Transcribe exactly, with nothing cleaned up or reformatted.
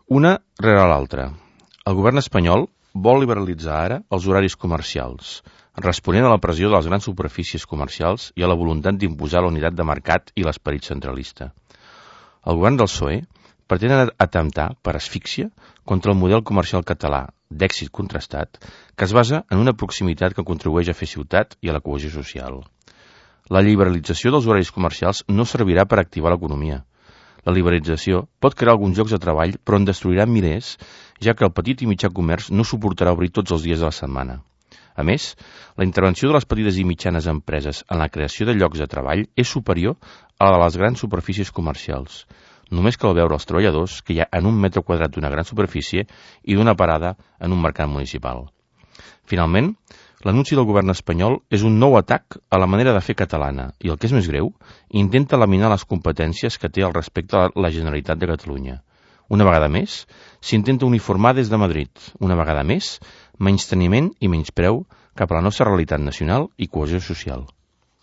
Una rere l'altra. El govern espanyol vol liberalitzar ara els horaris comercials, responent a la pressió de les grans superfícies comercials i a la voluntat d'imposar la unitat de mercat i l'esperit centralista. El govern del P S O E pretén atemptar, per asfíxia, contra el model comercial català, d'èxit contrastat, que es basa en una proximitat que contribueix a fer ciutat i a la cohesió social. La liberalització dels horaris comercials no servirà per activar l'economia. La liberalització pot crear alguns llocs de treball, però en destruirà milers, ja que el petit i mitjà comerç no suportarà obrir tots els dies de la setmana. A més, la intervenció de les petites i mitjanes empreses en la creació de llocs de treball és superior a la de les grans superfícies comercials. Només cal veure els treballadors que hi ha en un metre quadrat d'una gran superfície i d'una parada en un mercat municipal. Finalment, l'anunci del govern espanyol és un nou atac a la manera de fer catalana i, el que és més greu, intenta laminar les competències que té al respecte a la Generalitat de Catalunya. Una vegada més, s'intenta uniformar des de Madrid. Una vegada més, menysteniment i menyspreu cap a la nostra realitat nacional i cohesió social.